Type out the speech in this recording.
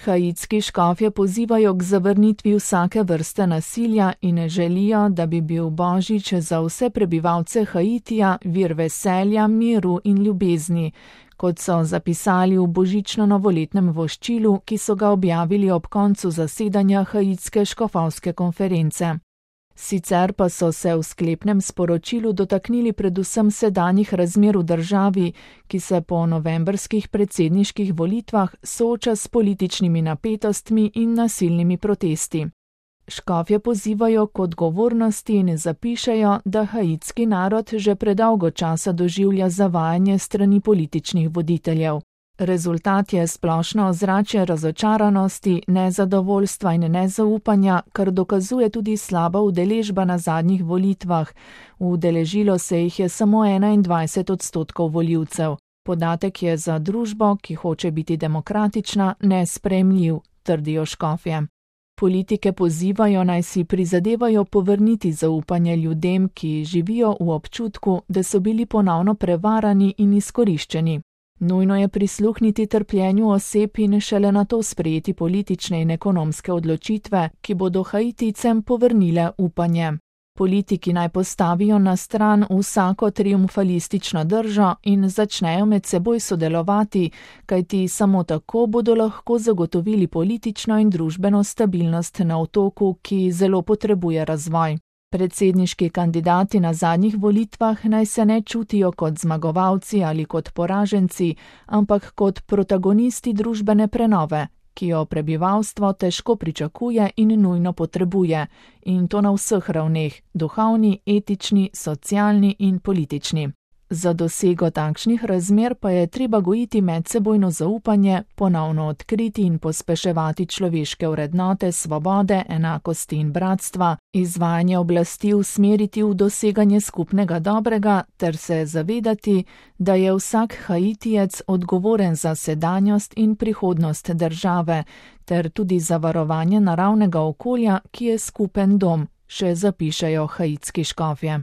Haitski škofje pozivajo k zavrnitvi vsake vrste nasilja in želijo, da bi bil Božič za vse prebivalce Haitija vir veselja, miru in ljubezni, kot so zapisali v božično-novoletnem voščilu, ki so ga objavili ob koncu zasedanja Haitske škofovske konference. Sicer pa so se v sklepnem sporočilu dotaknili predvsem sedanjih razmer v državi, ki se po novembrskih predsedniških volitvah sooča s političnimi napetostmi in nasilnimi protesti. Škofje pozivajo k odgovornosti in zapišejo, da haitski narod že predolgo časa doživlja zavajanje strani političnih voditeljev. Rezultat je splošno ozračje razočaranosti, nezadovoljstva in nezaupanja, kar dokazuje tudi slaba udeležba na zadnjih volitvah. Udeležilo se jih je samo 21% volivcev. Podatek je za družbo, ki hoče biti demokratična, nesprejemljiv, trdijo škofje. Politike pozivajo, naj si prizadevajo povrniti zaupanje ljudem, ki živijo v občutku, da so bili ponovno prevarani in izkoriščeni. Nujno je prisluhniti trpljenju oseb in šele nato sprejeti politične in ekonomske odločitve, ki bodo Haiticem povrnile upanje. Politiki naj postavijo na stran vsako triumfalistično držo in začnejo med seboj sodelovati, kajti samo tako bodo lahko zagotovili politično in družbeno stabilnost na otoku, ki zelo potrebuje razvoj. Predsedniški kandidati na zadnjih volitvah naj se ne čutijo kot zmagovalci ali kot poraženci, ampak kot protagonisti družbene prenove, ki jo prebivalstvo težko pričakuje in nujno potrebuje, in to na vseh ravneh, duhovni, etični, socialni in politični. Za dosego takšnih razmer pa je treba gojiti medsebojno zaupanje, ponovno odkriti in pospeševati človeške vrednote svobode, enakosti in bratstva, izvajanje oblasti usmeriti v doseganje skupnega dobrega ter se zavedati, da je vsak Haitijec odgovoren za sedanjost in prihodnost države, ter tudi za varovanje naravnega okolja, ki je skupen dom, še zapišejo haitski škofje.